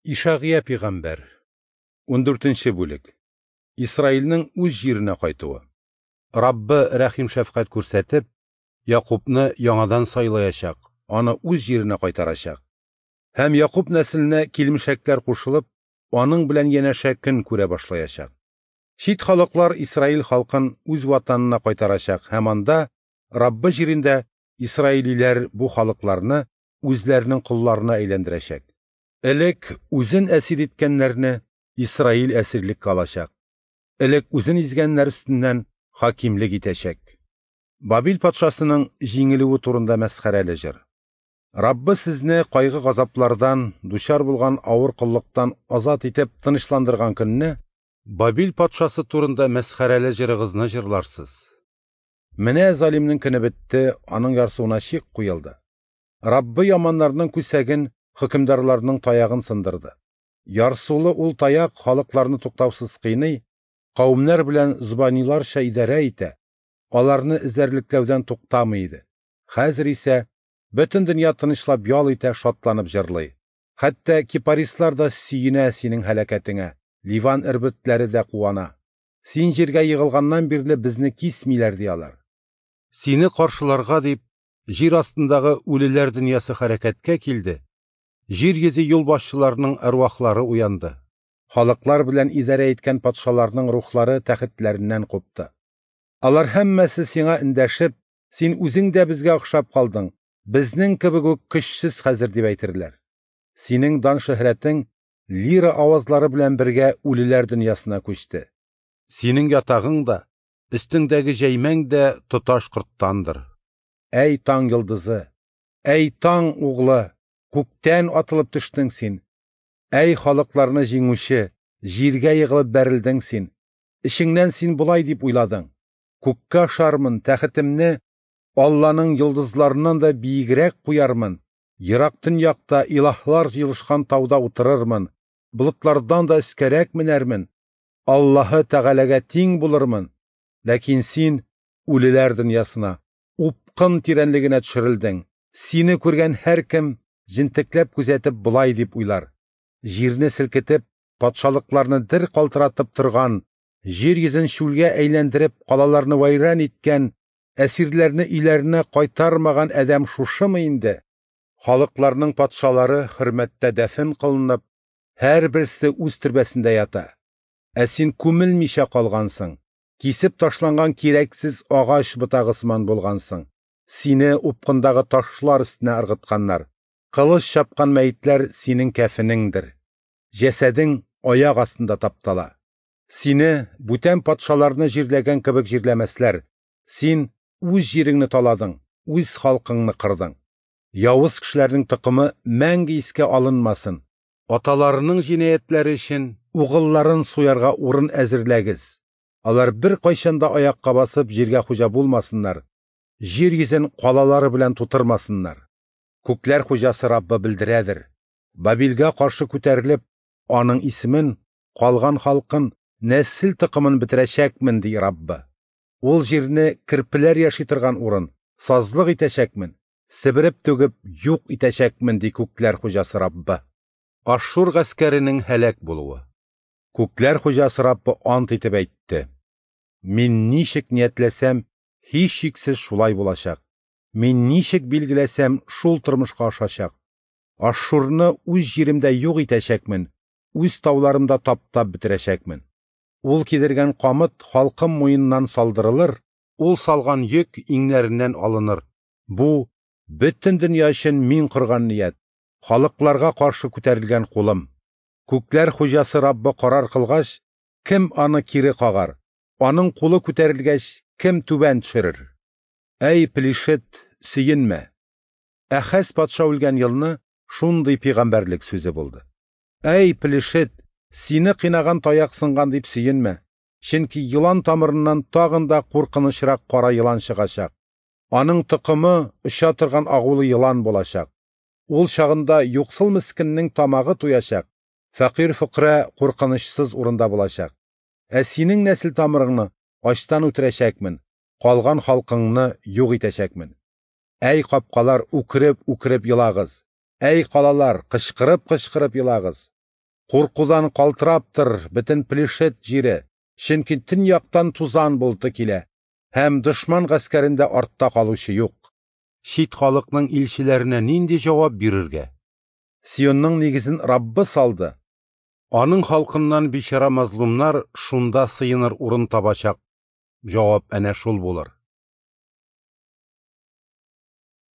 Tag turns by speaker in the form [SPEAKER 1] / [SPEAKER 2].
[SPEAKER 1] Ишагыя пигамбәр, 14 бүлек. Исраилнең үз җиренә кайтуы. Раббы рәхим-шәфкать күрсәтеп, Якубны яңадан сайлаячак, аны үз җиренә кайтарачак. Һәм Якуб нәселенә килмешәкләр кушылып, аның белән янәшә көн күрә башлаячак. Чит халыклар Исраил халкын үз ватанына кайтарачак һәм анда Раббы җирендә исраилиләр бу халыкларны үзләренең колларына әйләндерәчәк. Элек үзен әсир иткәннәрне Исраил әсирлеккә алачак. Элек үзен изгәннәр өстеннән хакимлек итәчәк. Бабил патшасының җиңелүе турында мәсхәрәле җыр. Раббы сезне кайгы-газаплардан, дучар булган авыр коллыктан азат итеп тынычландырган көнне Бабил патшасы турында мәсхәрәле җырыгызны җырларсыз. Менә залимнең көне бетте, аның ярсуына чик куелды. Раббы яманнарның күсәген, хөкемдарларның таягын сындырды. Ярсулы ул таяк халыкларны туктаусыз кыйный, кавемнәр белән зобаниларча идарә итә, аларны эзәрлекләүдән туктамый иде. Хәзер исә бөтен дөнья тынычлап ял итә, шатланып җырлый. Хәтта кипарислар да сөенә синең һәлакәтеңә, Ливан эрбетләре дә куана. Син җиргә егылганнан бирле безне кисмиләр, ди алар. Сине каршыларга дип, җир астындагы үлеләр дөньясы хәрәкәткә килде, җир йөзе юлбашчыларының әрвахлары уянды. Халыклар белән идарә иткән патшаларның рухлары тәхетләреннән купты. Алар һәммәсе сиңа эндәшеп, син үзең дә безгә охшап калдың, безнең кебек үк көчсез хәзер дип әйтерләр. Синең дан-шөһрәтең лира авазлары белән бергә үлеләр дөньясына күчте. Синең ятагың да, өстеңдәге җәймәң дә тоташ корттандыр. Әй таң йолдызы, әй таң углы, күктән атылып төштең син. Әй халыкларны җиңүче, җиргә егылып бәрелдең син. Эчеңнән син болай дип уйладың: күккә ашармын, тәхетемне Алланың йолдызларыннан да биегрәк куярмын, ерак төньякта илаһлар җыелышкан тауда утырырмын, болытлардан да өскәрәк менәрмен, Аллаһы Тәгаләгә тиң булырмын. Ләкин син үлеләр дөньясына, упкын тирәнлегенә төшерелдең. Сине күргән һәркем җентекләп күзәтеп болай дип уйлар: җирне селкетеп, патшалыкларны дер калтыратып торган, җир йөзен чүлгә әйләндереп, калаларны вәйран иткән, әсирләрне өйләренә кайтармаган адәм шушымы инде? Халыкларның патшалары хөрмәттә дәфен кылынып, һәрберсе үз төрбәсендә ята. Ә син күмелмичә калгансың, кисеп ташланган кирәксез агач ботагы сыман булгансың. Сине упкындагы ташлар өстенә ыргытканнар. Кылыч чапкан мәетләр синең кәфенеңдер. Җәсәдең аяк астында таптала. Сине бүтән патшаларны җирләгән кебек җирләмәсләр. Син үз җиреңне таладың, үз халкыңны кырдың. Явыз кешеләрнең токымы мәңге искә алынмасын. Аталарының җинаятьләре өчен угылларын суярга урын әзерләгез. Алар бер кайчан да аякка басып җиргә хуҗа булмасыннар, җир йөзен калалары белән тутырмасыннар. Күкләр хуҗасы Раббы белдерәдер. Бабилгә каршы күтәрелеп, аның исемен, калган халкын, нәсел токымын бетерәчәкмен, ди Раббы. Ул җирне керпеләр яши торган урын, сазлык итәчәкмен, себереп түгеп юк итәчәкмен, ди күкләр хуҗасы Раббы. Ашшур гаскәренең һәлак булуы. Күкләр хуҗасы Раббы ант итеп әйтте: Мин ничек ниятләсәм, һичшиксез шулай булачак. Мин ничек билгеләсәм, шул тормышка ашачак. Ашшурны үз җиремдә юк итәчәкмен, үз тауларымда таптап бетерәчәкмен. Ул кидергән камыт халкым муеннан салдырылыр, ул салган йөк иңнәреннән алыныр. Бу бөтен дөнья өчен мин корган ният, халыкларга каршы күтәрелгән кулым. Күкләр хуҗасы Раббы карар кылгач, кем аны кире кагар? Аның кулы күтәрелгәч, кем түбән төшерер? Әй, Плишет, сөенмә! Әхәз патша үлгән елны шундый пигамбәрлек сүзе булды. Әй, Плишет, сине кыйнаган таяк сынган дип сөенмә, чөнки елан тамырыннан тагын да куркынычрак кара елан чыгачак. Аның токымы оча торган агулы елан булачак. Ул чагында юксыл мескеннең тамагы туячак, фәкыйрь-фөкърә куркынычсыз урында булачак. Ә синең нәсел тамырыңны ачтан үтерәчәкмен, калган халкыңны юк итәчәкмен. Әй капкалар, үкереп-үкереп елагыз! Әй калалар, кычкырып-кычкырып елагыз! Куркудан калтырап тор, бөтен Плешет җире, чөнки төньяктан тузан болыты килә, һәм дошман гаскәрендә артта калучы юк. Чит халыкның илчеләренә нинди җавап бирергә? Сионның нигезен Раббы салды. Аның халкыннан бичара мазлумнар шунда сыеныр урын табачак. Җавап әнә шул булыр.